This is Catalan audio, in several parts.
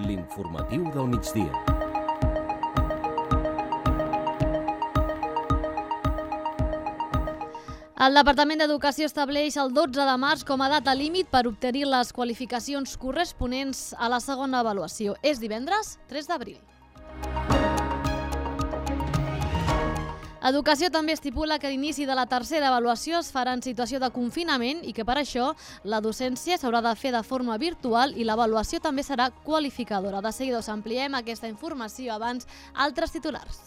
L'informatiu del migdia. El Departament d'Educació estableix el 12 de març com a data límit per obtenir les qualificacions corresponents a la segona avaluació. És divendres 3 d'abril. Educació també estipula que l'inici de la tercera avaluació es farà en situació de confinament i que per això la docència s'haurà de fer de forma virtual i l'avaluació també serà qualificadora. De seguida us ampliem aquesta informació, abans altres titulars.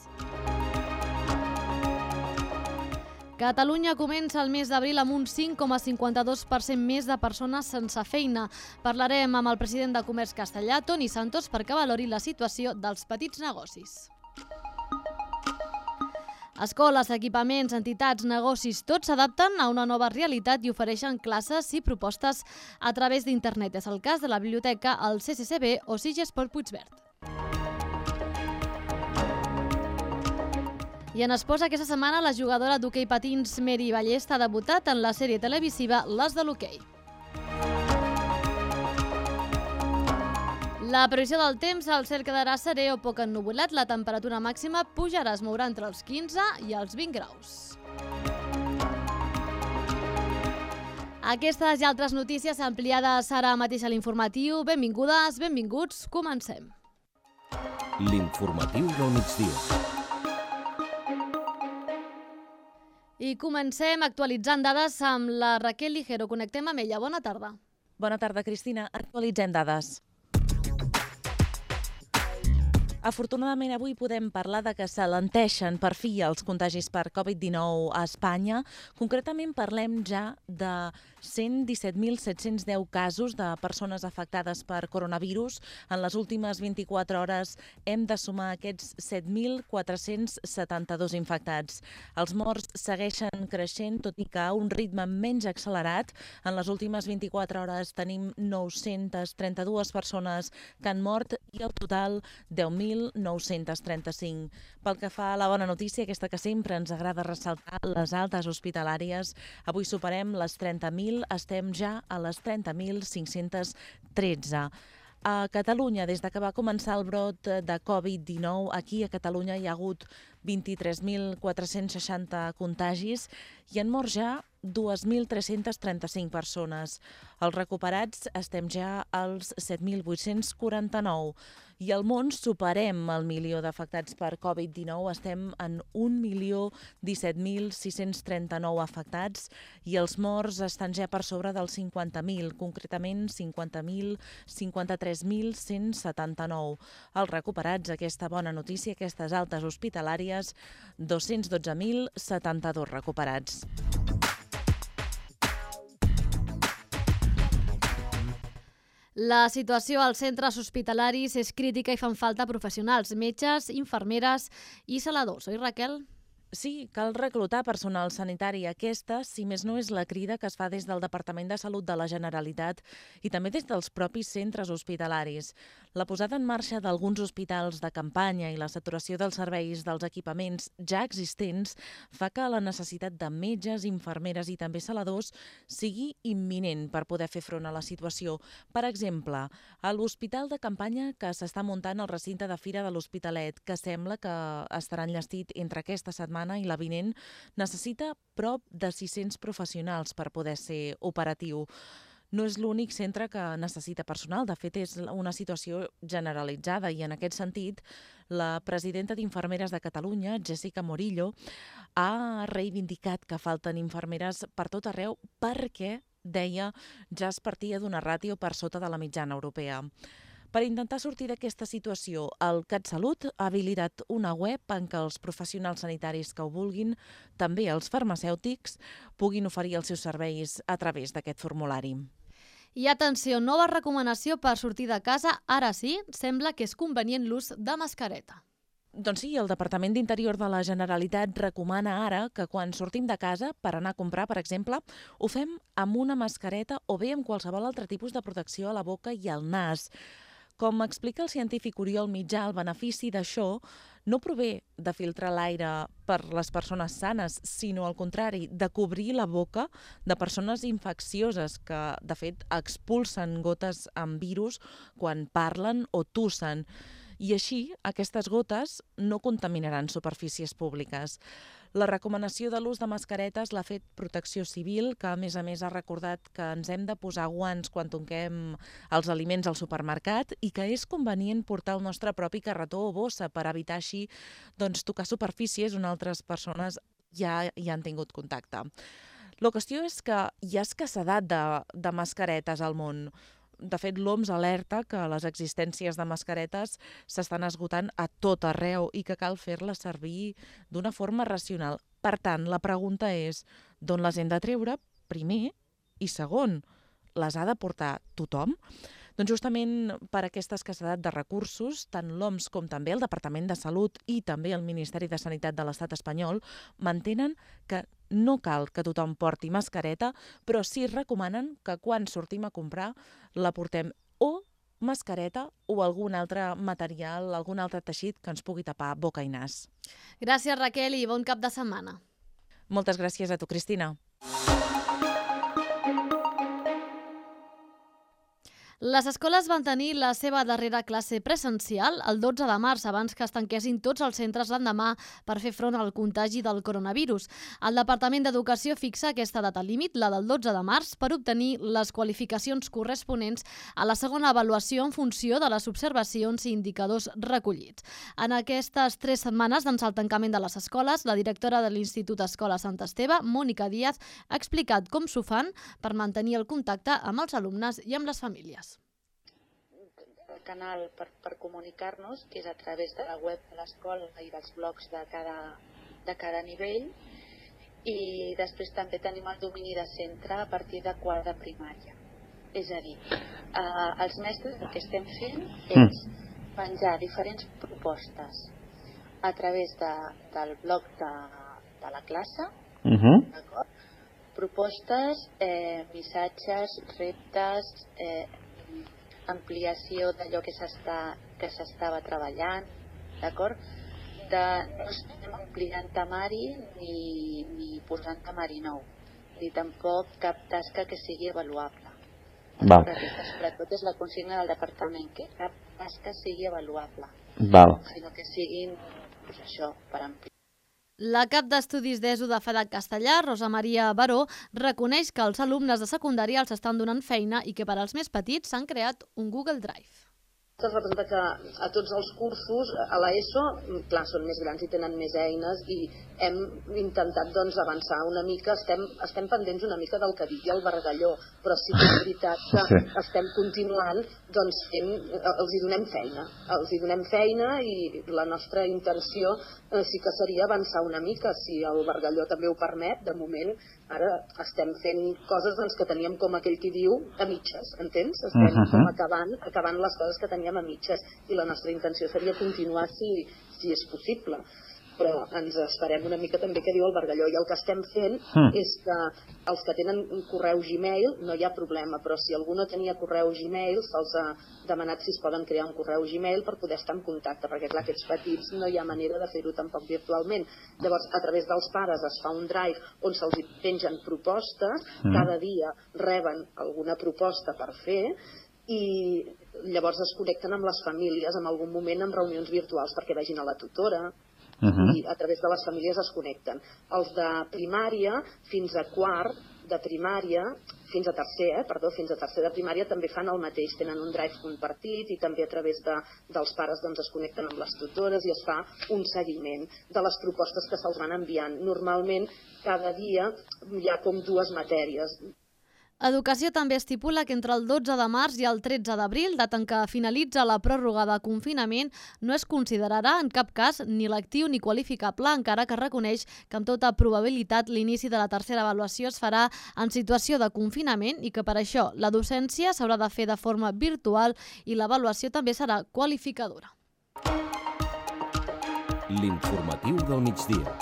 Catalunya comença el mes d'abril amb un 5,52% més de persones sense feina. Parlarem amb el president de Comerç Castellà, Toni Santos, perquè valori la situació dels petits negocis. Escoles, equipaments, entitats, negocis, tots s'adapten a una nova realitat i ofereixen classes i propostes a través d'internet. És el cas de la biblioteca, el CCCB o Sigesport Puigverd. I en esports, aquesta setmana la jugadora d'hoquei patins Meri Ballesta ha debutat en la sèrie televisiva Les de l'hoquei. La previsió del temps, el cel quedarà serè o poc ennuvolat, la temperatura màxima pujarà, es mourà entre els 15 i els 20 graus. Aquestes i altres notícies ampliades ara mateix a l'informatiu. Benvingudes, benvinguts, comencem. L'informatiu del migdia. I comencem actualitzant dades amb la Raquel Ligero. Connectem amb ella. Bona tarda. Bona tarda, Cristina. Actualitzem dades. Afortunadament, avui podem parlar de que s'alenteixen per fi els contagis per Covid-19 a Espanya. Concretament parlem ja de 117.710 casos de persones afectades per coronavirus. En les últimes 24 hores hem de sumar aquests 7.472 infectats. Els morts segueixen creixent, tot i que a un ritme menys accelerat. En les últimes 24 hores tenim 932 persones que han mort i el total 10.935. Pel que fa a la bona notícia, aquesta que sempre ens agrada ressaltar, les altes hospitalàries, avui superem les 30.000, estem ja a les 30.513. A Catalunya, des que va començar el brot de Covid-19, aquí a Catalunya hi ha hagut 23.460 contagis i han mort ja 2.335 persones. Els recuperats estem ja als 7.849 i al món superem el milió d'afectats per Covid-19. Estem en 1.017.639 afectats i els morts estan ja per sobre dels 50.000, concretament 53.179. Els recuperats, aquesta bona notícia, aquestes altes hospitalàries, 212.072 recuperats. La situació als centres hospitalaris és crítica i fan falta professionals, metges, infermeres i saladors. Oi, Raquel? Sí, cal reclutar personal sanitari. Aquesta, si més no, és la crida que es fa des del Departament de Salut de la Generalitat i també des dels propis centres hospitalaris. La posada en marxa d'alguns hospitals de campanya i la saturació dels serveis dels equipaments ja existents fa que la necessitat de metges, infermeres i també saladors sigui imminent per poder fer front a la situació. Per exemple, a l'hospital de campanya que s'està muntant al recinte de Fira de l'Hospitalet, que sembla que estarà enllestit entre aquesta setmana i la vinent, necessita prop de 600 professionals per poder ser operatiu. No és l'únic centre que necessita personal, de fet és una situació generalitzada i en aquest sentit la presidenta d'Infermeres de Catalunya, Jessica Morillo, ha reivindicat que falten infermeres per tot arreu perquè, deia, ja es partia d'una ràtio per sota de la mitjana europea. Per intentar sortir d'aquesta situació, el CatSalut ha habilitat una web en què els professionals sanitaris que ho vulguin, també els farmacèutics, puguin oferir els seus serveis a través d'aquest formulari. I atenció, nova recomanació per sortir de casa. Ara sí, sembla que és convenient l'ús de mascareta. Doncs sí, el Departament d'Interior de la Generalitat recomana ara que quan sortim de casa per anar a comprar, per exemple, ho fem amb una mascareta o bé amb qualsevol altre tipus de protecció a la boca i al nas. Com explica el científic Oriol Mitjà, el benefici d'això no prové de filtrar l'aire per les persones sanes, sinó al contrari, de cobrir la boca de persones infeccioses que, de fet, expulsen gotes amb virus quan parlen o tussen. I així, aquestes gotes no contaminaran superfícies públiques. La recomanació de l'ús de mascaretes l'ha fet Protecció Civil, que a més ha recordat que ens hem de posar guants quan toquem els aliments al supermercat i que és convenient portar el nostre propi carretó o bossa per evitar així tocar superfícies on altres persones ja hi han tingut contacte. La qüestió és que hi ha escassedat de mascaretes al món. De fet, l'OMS alerta que les existències de mascaretes s'estan esgotant a tot arreu i que cal fer-les servir d'una forma racional. Per tant, la pregunta és d'on les hem de treure, primer, i segon, les ha de portar tothom? Doncs justament per aquesta escassedat de recursos, tant l'OMS com també el Departament de Salut i també el Ministeri de Sanitat de l'Estat espanyol mantenen que no cal que tothom porti mascareta, però sí recomanen que quan sortim a comprar la portem o mascareta o algun altre material, algun altre teixit que ens pugui tapar boca i nas. Gràcies, Raquel, i bon cap de setmana. Moltes gràcies a tu, Cristina. Les escoles van tenir la seva darrera classe presencial el 12 de març, abans que es tanquessin tots els centres l'endemà per fer front al contagi del coronavirus. El Departament d'Educació fixa aquesta data límit, la del 12 de març, per obtenir les qualificacions corresponents a la segona avaluació en funció de les observacions i indicadors recollits. En aquestes 3 setmanes d'ençà el tancament de les escoles, la directora de l'Institut Escola Sant Esteve, Mònica Díaz, ha explicat com s'ho fan per mantenir el contacte amb els alumnes i amb les famílies. El canal per comunicar-nos, que és a través de la web de l'escola i dels blogs de cada nivell, i després també tenim el domini de centre a partir de quart de primària. És a dir, els mestres el que estem fent és penjar diferents propostes a través del blog de la classe, d'acord? Propostes, missatges, reptes, ampliació d'allò que s'estava treballant, d'acord? No estem ampliant temari ni posant temari nou, ni tampoc cap tasca que sigui avaluable. Aquesta, sobretot, és la consigna del departament, que cap tasca sigui avaluable, sinó que siguin, això, per ampliar. La cap d'estudis d'ESO de FEDAC Castellar, Rosa Maria Baró, reconeix que els alumnes de secundària els estan donant feina i que per als més petits s'han creat un Google Drive. Es representa que a tots els cursos, a l'ESO, clar, són més grans i tenen més eines i hem intentat avançar una mica, estem pendents una mica del que digui el Bargalló, però sí que és veritat que estem continuant fent, els hi donem feina i la nostra intenció sí que seria avançar una mica, si el Bargalló també ho permet. De moment, ara estem fent coses que teníem, com aquell qui diu, a mitges, entens? Estem com acabant les coses que teníem a mitges i la nostra intenció seria continuar si és possible. Però ens esperem una mica també que diu el Bargalló, i el que estem fent és que els que tenen un correu Gmail no hi ha problema, però si algú no tenia correu Gmail se'ls ha demanat si es poden crear un correu Gmail per poder estar en contacte, perquè clar, aquests petits no hi ha manera de fer-ho tampoc virtualment. Llavors, a través dels pares es fa un drive on se'ls pengen propostes, cada dia reben alguna proposta per fer, i llavors es connecten amb les famílies en algun moment amb reunions virtuals perquè vegin a la tutora, i a través de les famílies es connecten. Els de primària fins a quart de primària, fins a tercer de primària també fan el mateix, tenen un drive compartit i també a través dels pares es connecten amb les tutores i es fa un seguiment de les propostes que se'ls van enviant. Normalment cada dia hi ha com 2 matèries. Educació també estipula que entre el 12 de març i el 13 d'abril, data en què finalitza la pròrroga de confinament, no es considerarà en cap cas ni lectiu ni qualificable, encara que reconeix que amb tota probabilitat l'inici de la tercera avaluació es farà en situació de confinament i que per això la docència s'haurà de fer de forma virtual i l'avaluació també serà qualificadora. L'informatiu del migdia.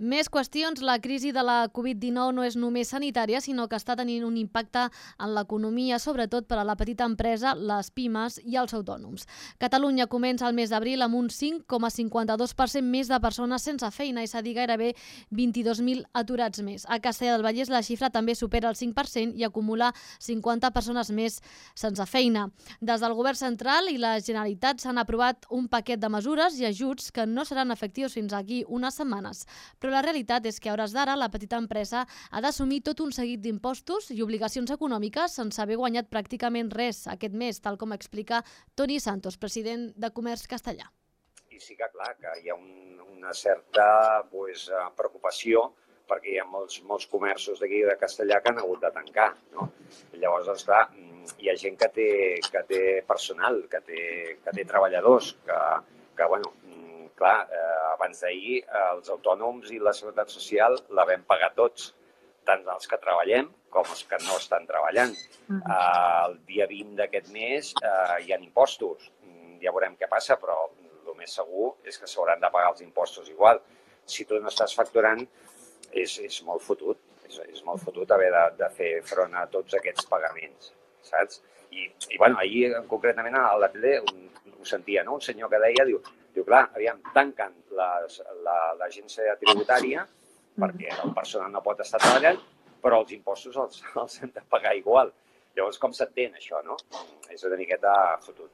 Més qüestions. La crisi de la Covid-19 no és només sanitària, sinó que està tenint un impacte en l'economia, sobretot per a la petita empresa, les pimes i els autònoms. Catalunya comença el mes d'abril amb un 5,52% més de persones sense feina, és a dir, gairebé 22.000 aturats més. A Castellar del Vallès la xifra també supera el 5% i acumula 50 persones més sense feina. Des del Govern central i la Generalitat s'han aprovat un paquet de mesures i ajuts que no seran efectius fins aquí unes setmanes. Però la realitat és que a hores d'ara la petita empresa ha d'assumir tot un seguit d'impostos i obligacions econòmiques sense haver guanyat pràcticament res aquest mes, tal com explica Toni Santos, president de Comerç Castellar. I sí que, clar, que hi ha una certa preocupació perquè hi ha molts comerços d'aquí de Castellar que han hagut de tancar, no? Llavors, clar, hi ha gent que té personal, que té treballadors, que bueno, clar, abans d'ahir els autònoms i la Seguretat Social la vam pagar tots, tant els que treballem com els que no estan treballant. El dia 20 d'aquest mes hi ha impostos. Ja veurem què passa, però el més segur és que s'hauran de pagar els impostos igual. Si tu no estàs facturant, és molt fotut. És molt fotut haver de fer front a tots aquests pagaments, saps? I bueno, ahir, concretament, a la tele ho sentia, no? Un senyor que deia, diu, clar, aviam, tanquen l'agència tributària perquè el personal no pot estar treballant, però els impostos els hem de pagar igual. Llavors, com s'entén això, no? És una miqueta fotut.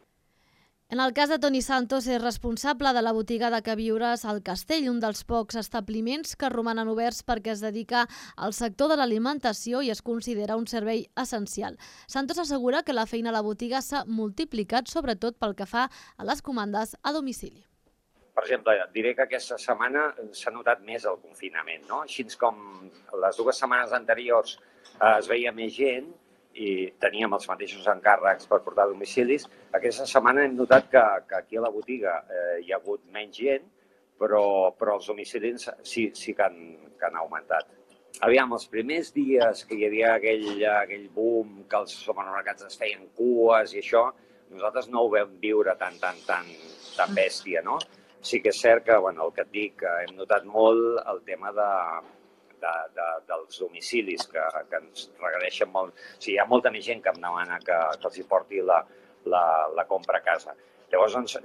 En el cas de Toni Santos, és responsable de la botiga de queviures al Castell, un dels pocs establiments que romanen oberts perquè es dedica al sector de l'alimentació i es considera un servei essencial. Santos assegura que la feina a la botiga s'ha multiplicat, sobretot pel que fa a les comandes a domicili. Per exemple, diré que aquesta setmana s'ha notat més el confinament, no? Així com les 2 setmanes anteriors es veia més gent, i teníem els mateixos encàrrecs per portar domicilis. Aquesta setmana hem notat que aquí a la botiga hi ha hagut menys gent, però els domicilis sí que han augmentat. Aviam, els primers dies que hi havia aquell boom, que els supermercats es feien cues i això, nosaltres no ho vam viure tan bèstia, no? Sí que és cert que, el que et dic, hem notat molt el tema dels domicilis, que ens requereixen molt. O sigui, hi ha molta més gent que em demana que els hi porti la compra a casa. Llavors,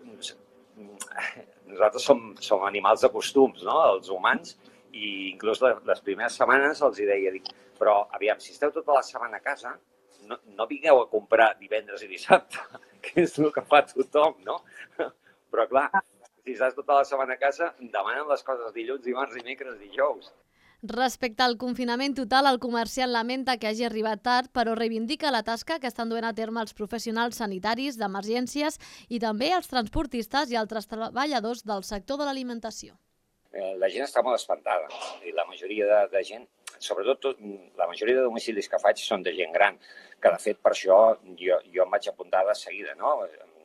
nosaltres som animals de costums, no?, els humans, i inclús les primeres setmanes els hi deia, però aviam, si esteu tota la setmana a casa, no vingueu a comprar divendres i dissabte, que és el que fa tothom, no? Però clar, si estàs tota la setmana a casa, demanen les coses dilluns, dimarts, dimecres, dijous. Respecte al confinament total, el comerciant lamenta que hagi arribat tard, però reivindica la tasca que estan duent a terme els professionals sanitaris, d'emergències i també els transportistes i altres treballadors del sector de l'alimentació. La gent està molt espantada i la majoria de gent, sobretot la majoria de domicilis que faig són de gent gran, que de fet per això jo em vaig apuntar de seguida, no?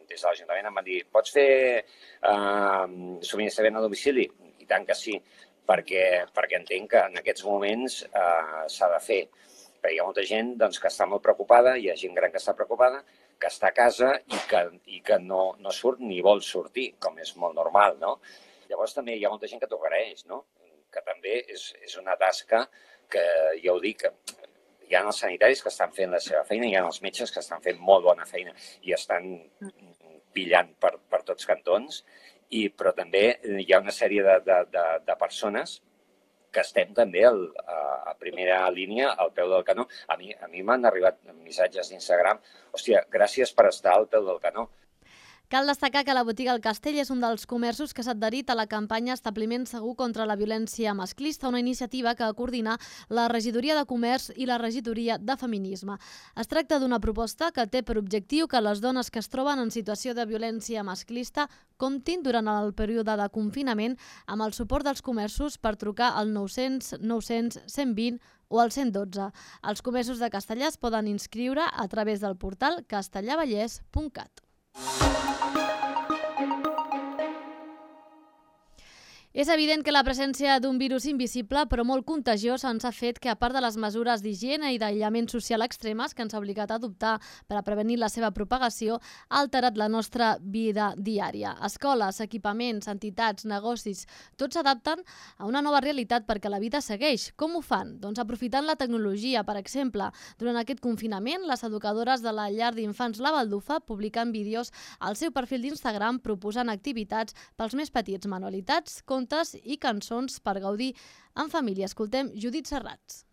Des de l'Ajuntament em van dir, pots fer subministrament a domicili? I tant que sí. Perquè entenc que en aquests moments s'ha de fer. Perquè hi ha molta gent que està molt preocupada, hi ha gent gran que està preocupada, que està a casa i que no surt ni vol sortir, com és molt normal, no? Llavors també hi ha molta gent que t'ho agraeix, no? Que també és una tasca que, ja ho dic, hi ha els sanitaris que estan fent la seva feina, hi ha els metges que estan fent molt bona feina i estan pillant per tots cantons, però també hi ha una sèrie de persones que estem també a primera línia, al peu del canó. A mi m'han arribat missatges d'Instagram, hòstia, gràcies per estar al peu del canó. Cal destacar que la botiga El Castell és un dels comerços que s'ha adherit a la campanya Establiment Segur contra la Violència Masclista, una iniciativa que coordina la Regidoria de Comerç i la Regidoria de Feminisme. Es tracta d'una proposta que té per objectiu que les dones que es troben en situació de violència masclista comptin durant el període de confinament amb el suport dels comerços per trucar al 900 900 120 o al 112. Els comerços de Castellar es poden inscriure a través del portal castellarvallès.cat. És evident que la presència d'un virus invisible però molt contagiós ens ha fet que, a part de les mesures d'higiene i d'aïllament social extremes que ens ha obligat a adoptar per a prevenir la seva propagació, ha alterat la nostra vida diària. Escoles, equipaments, entitats, negocis, tots s'adapten a una nova realitat perquè la vida segueix. Com ho fan? Doncs aprofitant la tecnologia, per exemple. Durant aquest confinament, les educadores de la llar d'infants La Baldufa publiquen vídeos al seu perfil d'Instagram proposant activitats pels més petits, manualitats, contes i cançons per gaudir en família. Escoltem Judit Serrats.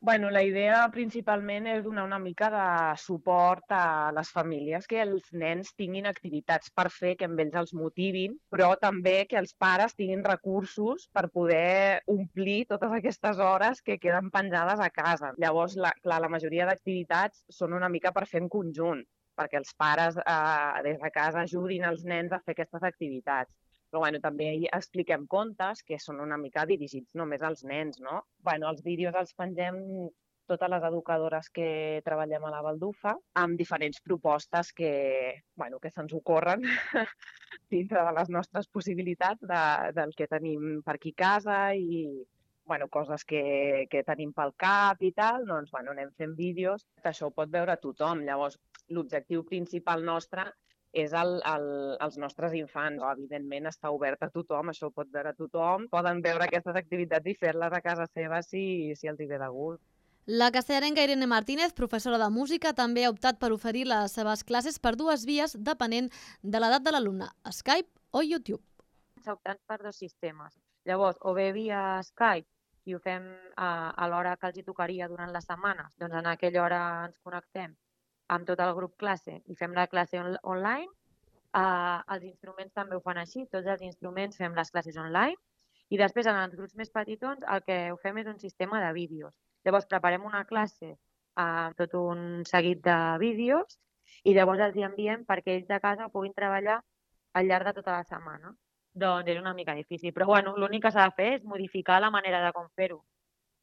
La idea principalment és donar una mica de suport a les famílies, que els nens tinguin activitats per fer, que amb ells els motivin, però també que els pares tinguin recursos per poder omplir totes aquestes hores que queden penjades a casa. Llavors, la majoria d'activitats són una mica per fer en conjunt, perquè els pares des de casa ajudin els nens a fer aquestes activitats. Però també expliquem contes que són una mica dirigits només als nens, no? Els vídeos els pengem totes les educadores que treballem a La Baldufa amb diferents propostes que se'ns ocorren dintre de les nostres possibilitats del que tenim per aquí a casa i coses que tenim pel cap i tal, anem fent vídeos. Això ho pot veure tothom. Llavors, l'objectiu principal nostre és els nostres infants. Evidentment està obert a tothom, això ho pot veure tothom. Poden veure aquestes activitats i fer-les a casa seva si els hi ve de gust. La castellarenca Irene Martínez, professora de música, també ha optat per oferir les seves classes per dues vies depenent de l'edat de l'alumne, Skype o YouTube. S'ha optat per dos sistemes. Llavors, o bé via Skype i ho fem a l'hora que els hi tocaria durant les setmanes, doncs en aquella hora ens connectem amb tot el grup classe i fem la classe online. Els instruments també ho fan així, tots els instruments fem les classes online i després en els grups més petitons el que ho fem és un sistema de vídeos. Llavors preparem una classe amb tot un seguit de vídeos i llavors els hi enviem perquè ells de casa ho puguin treballar al llarg de tota la setmana. Doncs és una mica difícil, però l'únic que s'ha de fer és modificar la manera de com fer-ho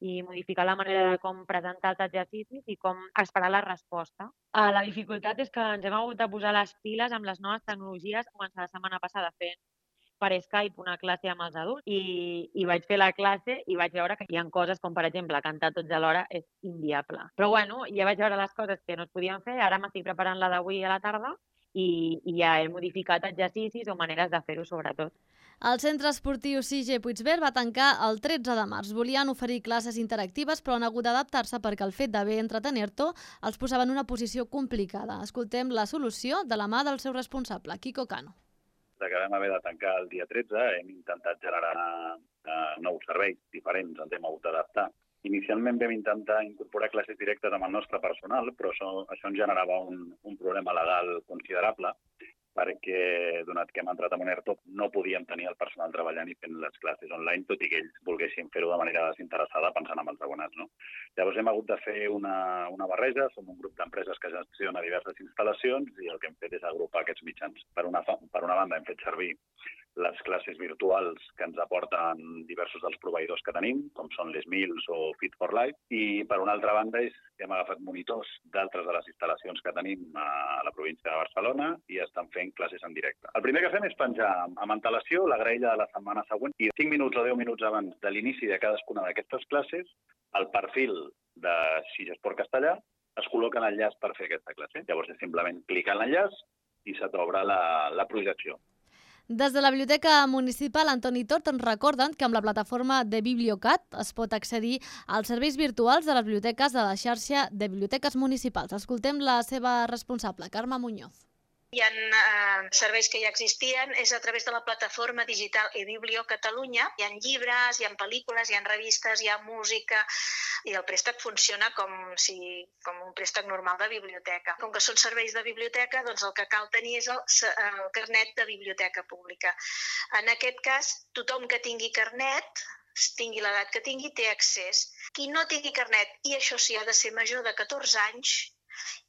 i modificar la manera de com presentar els exercicis i com esperar la resposta. La dificultat és que ens hem hagut de posar les piles amb les noves tecnologies. Començar la setmana passada fent per Skype una classe amb els adults i vaig fer la classe i vaig veure que hi ha coses com, per exemple, cantar tots alhora és inviable. Però ja vaig veure les coses que no es podien fer, ara m'estic preparant la d'avui a la tarda i ja he modificat exercicis o maneres de fer-ho sobretot. El centre esportiu CIGE Puigverd va tancar el 13 de març. Volien oferir classes interactives, però han hagut d'adaptar-se perquè el fet d'haver entretenir-te els posava en una posició complicada. Escoltem la solució de la mà del seu responsable, Quico Cano. Que vam haver de tancar el dia 13, hem intentat generar nous serveis diferents, ens hem hagut d'adaptar. Inicialment vam intentar incorporar classes directes amb el nostre personal, però això ens generava un problema legal considerable, perquè, donat que hem entrat en un ERTO, no podíem tenir el personal treballant i fent les classes online, tot i que ells volguessin fer-ho de manera desinteressada pensant en els abonats, no? Llavors hem hagut de fer una barreja, som un grup d'empreses que gestiona diverses instal·lacions i el que hem fet és agrupar aquests mitjans. Per una banda hem fet servir les classes virtuals que ens aporten diversos dels proveïdors que tenim, com són les Mills o Fit for Life, i per una altra banda hem agafat monitors d'altres de les instal·lacions que tenim a la província de Barcelona i estan fent classes en directe. El primer que fem és penjar amb antelació la graella de la setmana següent i 5 minuts o 10 minuts abans de l'inici de cadascuna d'aquestes classes, el perfil de CIGE Esport Castellà es col·loca en l'enllaç per fer aquesta classe. Llavors és simplement clicar en l'enllaç i se t'obre la projecció. Des de la Biblioteca Municipal Antoni Tort ens recorden que amb la plataforma de Bibliocat es pot accedir als serveis virtuals de les biblioteques de la xarxa de biblioteques municipals. Escoltem la seva responsable, Carme Muñoz. Hi ha serveis que ja existien, és a través de la plataforma digital eBiblio Catalunya. Hi ha llibres, hi ha pel·lícules, hi ha revistes, hi ha música i el préstec funciona com un préstec normal de biblioteca. Com que són serveis de biblioteca, doncs el que cal tenir és el carnet de biblioteca pública. En aquest cas, tothom que tingui carnet, tingui l'edat que tingui, té accés. Qui no tingui carnet, i això sí ha de ser major de 14 anys,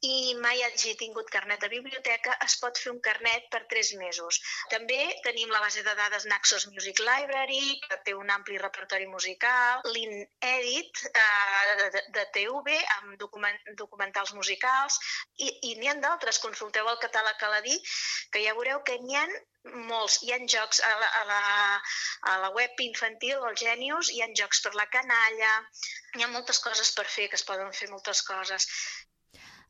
i mai hagi tingut carnet de biblioteca, es pot fer un carnet per 3 mesos. També tenim la base de dades Naxos Music Library, que té un ampli repertori musical, l'InEdit de TV, amb documentals musicals, i n'hi ha d'altres. Consulteu el catàleg Aladí, que ja veureu que n'hi ha molts. Hi ha jocs a la web infantil, el Genius, hi ha jocs per la canalla, hi ha moltes coses per fer, que es poden fer moltes coses.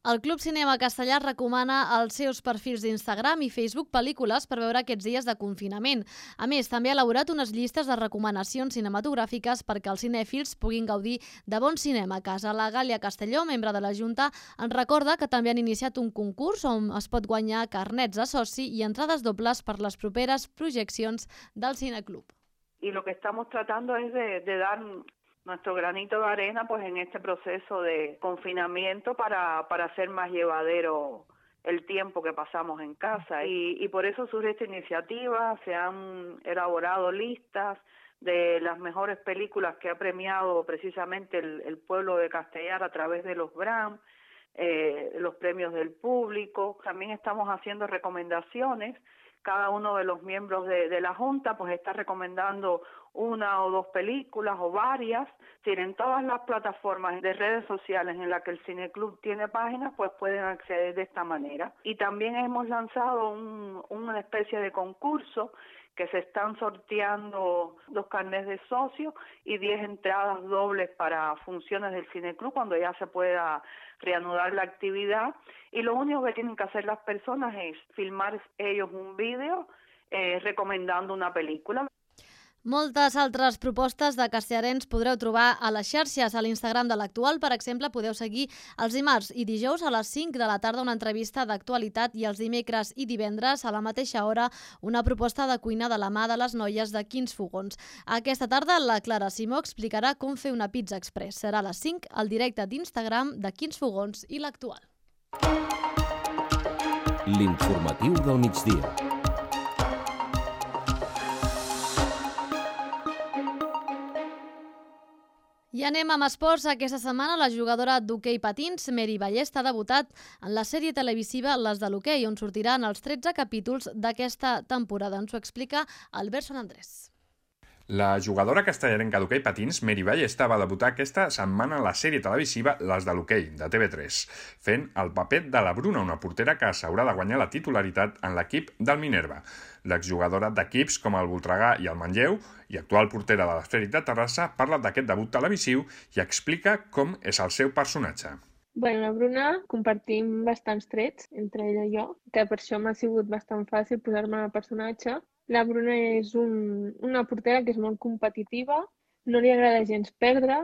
El Club Cinema Castellar recomana als seus perfils d'Instagram i Facebook pel·lícules per veure aquests dies de confinament. A més, també ha elaborat unes llistes de recomanacions cinematogràfiques perquè els cinèfils puguin gaudir de bon cinema a casa. La Gàlia Castelló, membre de la Junta, ens recorda que també han iniciat un concurs on es pot guanyar carnets de soci i entrades dobles per les properes projeccions del Cineclub. Y lo que estamos tratando es de dar nuestro granito de arena pues en este proceso de confinamiento para hacer más llevadero el tiempo que pasamos en casa. Y por eso surge esta iniciativa. Se han elaborado listas de las mejores películas que ha premiado precisamente el pueblo de Castellar a través de los BRAM, los premios del público. También estamos haciendo recomendaciones. Cada uno de los miembros de la Junta pues está recomendando una o dos películas o varias. En todas las plataformas de redes sociales en las que el Cineclub tiene páginas, pues pueden acceder de esta manera. Y también hemos lanzado una especie de concurso que se están sorteando 2 carnets de socio y 10 entradas dobles para funciones del Cineclub cuando ya se pueda reanudar la actividad. Y lo único que tienen que hacer las personas es filmar ellos un vídeo recomendando una película. Moltes altres propostes de castellarens podreu trobar a les xarxes. A l'Instagram de l'Actual, per exemple, podeu seguir els dimarts i dijous a les 5 de la tarda una entrevista d'actualitat i els dimecres i divendres a la mateixa hora una proposta de cuina de la mà de les noies de Quins Fogons. Aquesta tarda la Clara Simó explicarà com fer una pizza express. Serà a les 5 al directe d'Instagram de Quins Fogons i l'Actual. L'informatiu del migdia. I anem amb esports. Aquesta setmana la jugadora d'hoquei patins, Meri Ballesta, ha debutat en la sèrie televisiva Les de l'hoquei, on sortiran els 13 capítols d'aquesta temporada. Ens ho explica Albert Son Andrés. La jugadora castellarenca d'hoquei patins, Meri Ballesta, va debutar aquesta setmana a la sèrie televisiva Les de l'hoquei, de TV3, fent el paper de la Bruna, una portera que s'haurà de guanyar la titularitat en l'equip del Minerva. L'exjugadora d'equips com el Voltregà i el Manlleu i actual portera de l'Esfèric de Terrassa parla d'aquest debut televisiu i explica com és el seu personatge. La Bruna compartim bastants trets entre ella i jo, que per això m'ha sigut bastant fàcil posar-me en el personatge. La Bruna és una portera que és molt competitiva, no li agrada gens perdre,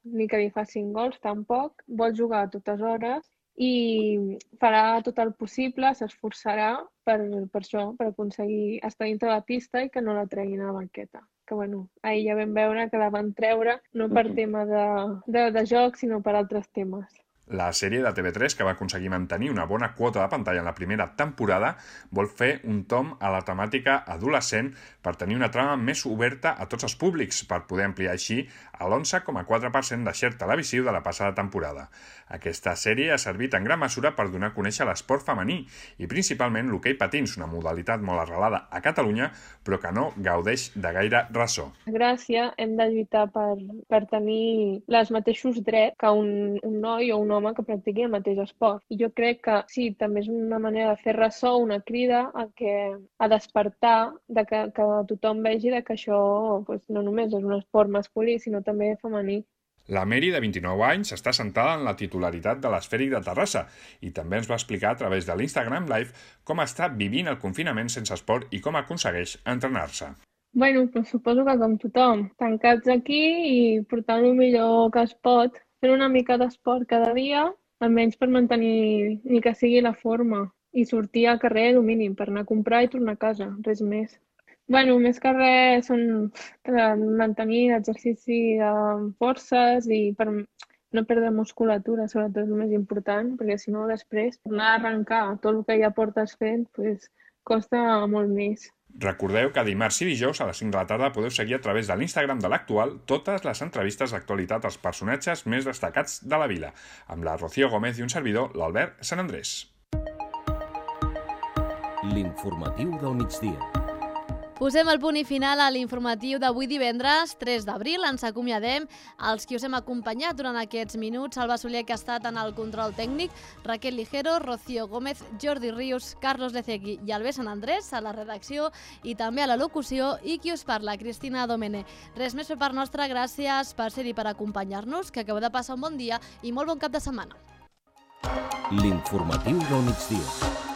ni que li facin gols tampoc, vol jugar a totes hores i farà tot el possible, s'esforçarà per això, per aconseguir estar dintre la pista i que no la treguin a la banqueta. Que ahir ja vam veure que la van treure no per tema de joc, sinó per altres temes. La sèrie de TV3, que va aconseguir mantenir una bona quota de pantalla en la primera temporada, vol fer un tom a la temàtica adolescent per tenir una trama més oberta a tots els públics, per poder ampliar així a l'11,4% de share televisiu de la passada temporada. Aquesta sèrie ha servit en gran mesura per donar a conèixer l'esport femení i principalment l'hoquei patins, una modalitat molt arrelada a Catalunya, però que no gaudeix de gaire ressò. A Gràcia hem de lluitar per tenir els mateixos drets que un noi o un home que practiqui el mateix esport. I jo crec que sí, també és una manera de fer ressò, una crida a despertar, que tothom vegi que això no només és un esport masculí, sinó també femení. La Meri, de 29 anys, està sentada en la titularitat de l'Esfèric de Terrassa i també ens va explicar a través de l'Instagram Live com està vivint el confinament sense esport i com aconsegueix entrenar-se. Suposo que com tothom, tancats aquí i portant el millor que es pot, fent una mica d'esport cada dia, almenys per mantenir ni que sigui la forma, i sortir al carrer el mínim per anar a comprar i tornar a casa, res més. Més que res són mantenir l'exercici de forces i per no perdre musculatura, sobretot és el més important, perquè si no després tornar a arrencar tot el que ja portes fent costa molt més. Recordeu que dimarts i dijous a les 5 de la tarda podeu seguir a través de l'Instagram de l'Actual totes les entrevistes d'actualitat als personatges més destacats de la vila, amb la Rocío Gómez i un servidor, l'Albert Sant Andrés. L'informatiu del migdia. Posem el punt i final a l'informatiu d'avui divendres, 3 d'abril. Ens acomiadem els qui us hem acompanyat durant aquests minuts. Salva Soler, que ha estat en el control tècnic, Raquel Ligero, Rocío Gómez, Jordi Rius, Carlos Lecegui i Albert Sant Andrés a la redacció i també a la locució, i qui us parla, Cristina Domene. Res més per part nostra, gràcies per ser-hi, per acompanyar-nos, que acabeu de passar un bon dia i molt bon cap de setmana. L'informatiu del migdia.